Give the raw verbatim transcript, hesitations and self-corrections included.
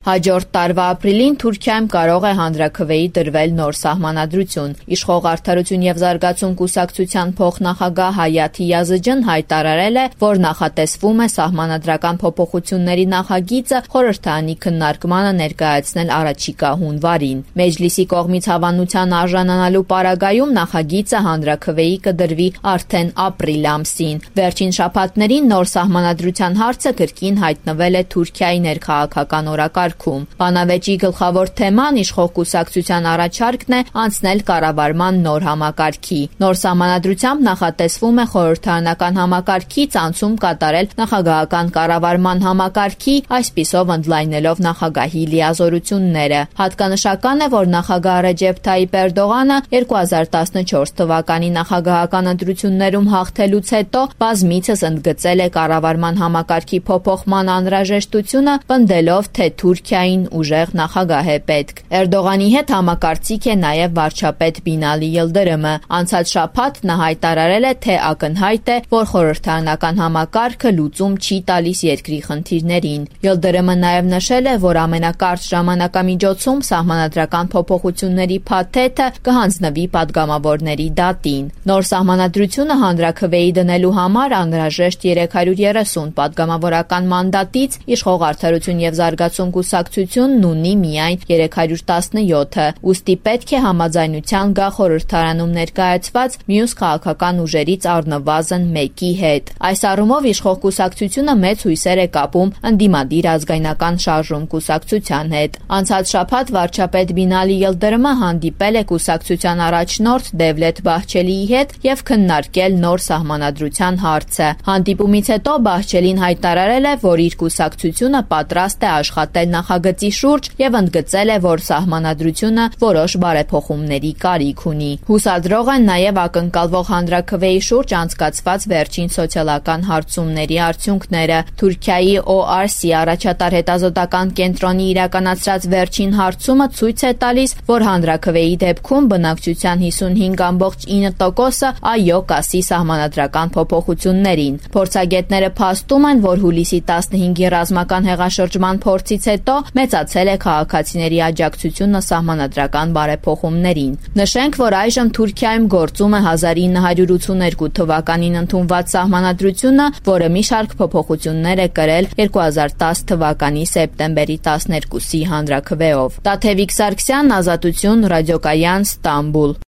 Հաջորդ տարվա ապրիլին Թուրքիայում կարող է հանրաքվեի դրվել նոր սահմանադրություն։ Իշխող Արդարություն եւ զարգացում կուսակցության փոխնախագահ Հայաթի Յազջն հայտարարել է, որ նախատեսվում է սահմանադրական փոփոխությունների նախագիծը խորհրդարանի քննարկմանը ներկայացնել առաջիկա հունվարին։ Մեջլիսի կողմից հավանության արժանանալու պարագայում նախագիծը հանրաքվեի կդրվի արդեն ապրիլ ամսին։ Վերջին շաբաթներին նոր սահմանադրության հարցը կրկին հայտնվել է Թուրքիայի ներքաղաքական օրակարգ։ Բանավեճի գլխավոր թեման իշխող կուսակցության առաջարկն է անցնել կառավարման նոր համակարգի։ Նոր սահմանադրությամբ նախատեսվում է խորհրդարանական համակարգից անցում կատարել նախագահական կառավարման համակարգի, այսպիսով ընդլայնելով նախագահի լիազորությունները։ Հատկանշական է, որ նախագահ Ռեջեփ Թայիփ Էրդողանը երկու հազար տասնչորս թվականի նախագահական ընտրություններում հաղթելուց հետո բազմիցս ընդգծել է կառավարման համակարգի փոփոխման անհրաժեշտությունը, պնդելով, թե Թուրքիային ուժեղ նախագահ է պետք։ Էրդողանի հետ համակարծիք է նաև վարչապետ Բինալի Յիլդիրիմը։ Անցած շաբաթ նա հայտարարել է, թե ակնհայտ է, որ խորհրդարանական համակարգը լուծում չի տալիս երկրի խնդիրներին։ Յիլդիրիմը նաև նշել է, որ ամենակարճ ժամանակամիջոցում սահմանադրական փոփոխությունների փաթեթը կհանձնվի падգամավորների դատին։ Նոր սահմանադրությունը հանրաքվեի դնելու համար անհրաժեշտ երեք հարյուր երեսուն падգամավորական մանդատից իշխող Արդարություն եւ զարգացում կուսակցությունն ունի միայն երեք հարյուր տասնյոթը, ուստի պետք է համաձայնության գա խորհրդարանում ներկայացված մյուս քաղաքական ուժերից առնվազն մեկի հետ։ Այս առումով իշխող կուսակցությունը մեծ հույսեր է կապում ընդդիմադիր ազգայնական շարժում կուսակցության հետ։ Անցած շաբաթ վարչապետ Բինալի Յիլդիրիմը հանդիպել է կուսակցության առաջնորդ Դևլեթ Բահչելիի հետ եւ քննարկել նոր սահմանադրության հարցը։ Հանդիպումից հետո Բահչելին հայտարարել է, որ իր կուսակցությունը պատրաստ է աշխատել նախագծի շուրջ եւ ընդգծել է, որ սահմանադրությունը որոշ բարեփոխումների կարիք ունի։ Հուսադրող են նաեւ ակնկալվող հանրաքվեի շուրջ անցկացված վերջին սոցիալական հարցումների արդյունքները։ Թուրքիայի O R C առաջատար հետազոտական կենտրոնի իրականացրած վերջին հարցումը ցույց է տալիս, որ հանրաքվեի դեպքում բնակչության հիսունհինգ կόμμα ինը տոկոսը այո կասի սահմանադրական փոփոխություններին։ Փորձագետները փաստում են, որ հուլիսի տասնհինգի ռազմական հեղաշրջման փորձից հետո մեծացել է քաղաքացիների աջակցությունը սահմանադրական բարեփոխումներին։ Նշենք, որ այժմ Թուրքիայում գործում է հազար ինը հարյուր ութսուներկու թվականին ընդունված սահմանադրությունը, որը մի շարք փոփոխություններ է կրել երկու հազար տասը թվականի սեպտեմբերի տասներկուսի հանրաքվեով։ Տաթևիկ Սարգսյան, Ազատություն, Ռադիոկայան, Ստամբուլ։